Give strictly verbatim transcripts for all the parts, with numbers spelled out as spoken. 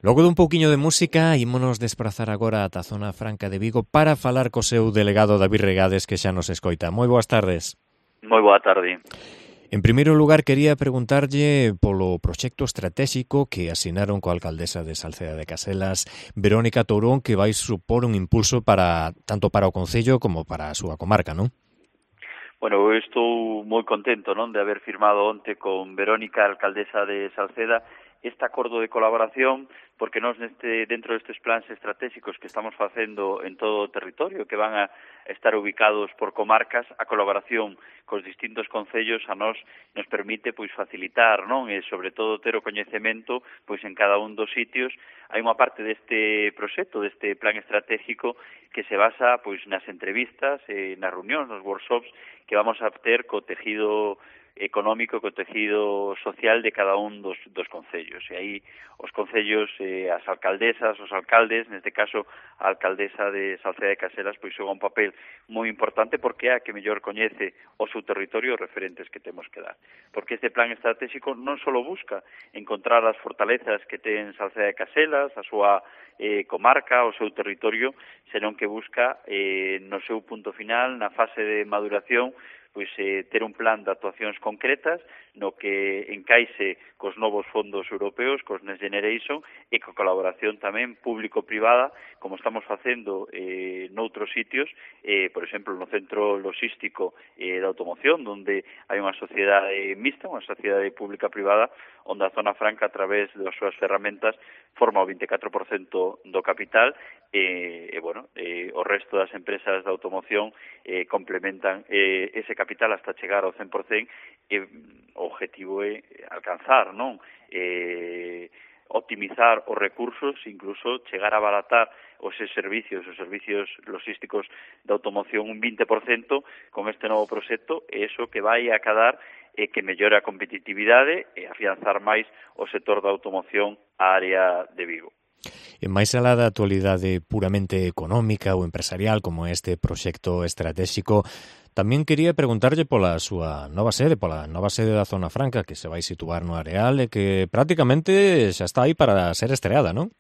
Logo dun pouquiño de música, ímonos desprazar agora ata a zona franca de Vigo para falar co seu delegado David Regades, que xa nos escoita. Moi boas tardes. Moi boa tarde. En primeiro lugar, quería preguntarlle polo proxecto estratégico que asinaron coa alcaldesa de Salceda de Caselas, Verónica Tourón, que vai supor un impulso para tanto para o concello como para a súa comarca, non? Bueno, eu estou moi contento, non, de haber firmado onte con Verónica, alcaldesa de Salceda, este acordo de colaboración, porque nós neste, dentro destes plans estratégicos que estamos facendo en todo o territorio, que van a estar ubicados por comarcas, a colaboración cos distintos concellos a nós nos permite pois facilitar, non, e sobre todo ter o coñecemento pois en cada un dos sitios. Hai unha parte deste proxecto, deste plan estratégico que se basa pois nas entrevistas, eh, nas reunións, nos workshops que vamos a ter co tejido económico, co tejido social de cada un dos, dos concellos. E aí os concellos, eh, as alcaldesas, os alcaldes, neste caso a alcaldesa de Salceda de Caselas, pois xoga un papel moi importante porque é a que mellor coñece o seu territorio os referentes que temos que dar. Porque este plan estratégico non só busca encontrar as fortalezas que ten Salceda de Caselas, a súa eh, comarca, o seu territorio, senón que busca eh, no seu punto final, na fase de maduración, pois eh, ter un plan de actuacións concretas no que encaixe cos novos fondos europeos, cos Next Generation, e co colaboración tamén público-privada, como estamos facendo eh, noutros sitios, eh, por exemplo, no centro logístico eh, de automoción, onde hai unha sociedade mixta, unha sociedade pública-privada, onde a Zona Franca, a través das súas ferramentas, forma o vinte e catro por cento do capital, e, e bueno, eh, o resto das empresas de automoción eh, complementan eh, ese capital hasta chegar ao cen por cento, e o objetivo é alcanzar, non? Eh, optimizar os recursos, incluso chegar a abaratar os servicios, os servicios logísticos de automoción un vinte por cento con este novo proxecto, e iso que vai a cadar e que mellora a competitividade e afianzar máis o sector da automoción á área de Vigo. E máis alá da actualidade puramente económica ou empresarial como este proxecto estratégico, tamén quería preguntarlle pola súa nova sede, pola nova sede da Zona Franca que se vai situar no Areal e que prácticamente xa está aí para ser estreada, non?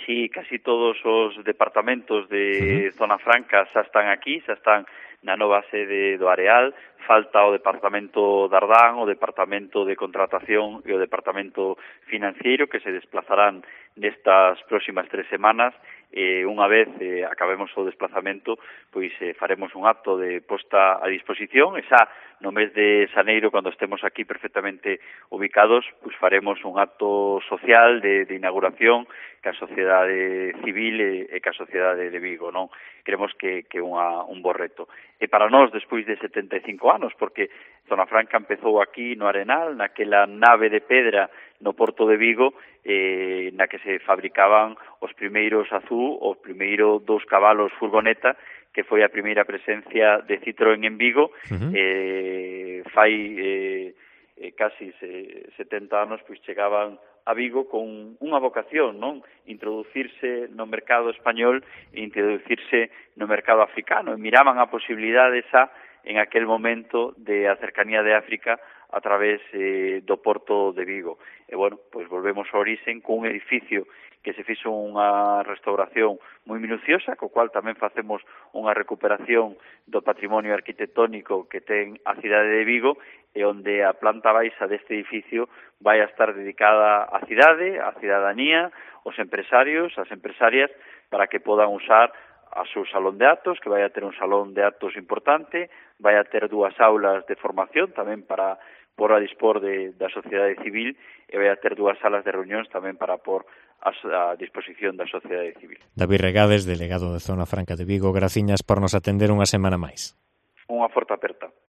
Sí, casi todos os departamentos de uh-huh. Zona Franca xa están aquí, xa están na nova sede do Areal. Falta o departamento de Ardán, o departamento de contratación e o departamento financiero que se desplazarán nestas próximas tres semanas. E unha vez eh, acabemos o desplazamento, pois eh, faremos un acto de posta a disposición, e xa no mes de xaneiro, cando estemos aquí perfectamente ubicados, pois faremos un acto social de, de inauguración ca sociedade civil e, e ca sociedade de Vigo, non? Creemos que que unha un bo reto. E para nós, despois de setenta e cinco anos, porque Zona Franca empezou aquí no Arenal, naquela nave de pedra no Porto de Vigo, eh, na que se fabricaban os primeiros azul, os primeiros dous cabalos furgoneta, que foi a primeira presencia de Citroën en Vigo. Uh-huh. eh, fai eh, eh, casi se, setenta anos, pois chegaban a Vigo con unha vocación, non? Introducirse no mercado español e introducirse no mercado africano. E miraban a posibilidade esa en aquel momento de a cercanía de África a través eh, do Porto de Vigo. E, bueno, pois volvemos ao orixen con un edificio que se fixo unha restauración moi minuciosa, co cual tamén facemos unha recuperación do patrimonio arquitectónico que ten a cidade de Vigo, e onde a planta baixa deste edificio vai a estar dedicada á cidade, á cidadanía, aos empresarios, ás empresarias, para que podan usar a seu salón de actos, que vai a ter un salón de actos importante, vai a ter dúas aulas de formación tamén para por a dispor de, da sociedade civil, e vai a ter dúas salas de reunións tamén para por a, a disposición da sociedade civil. David Regades, delegado de Zona Franca de Vigo, graciñas por nos atender unha semana máis. Unha forte aperta.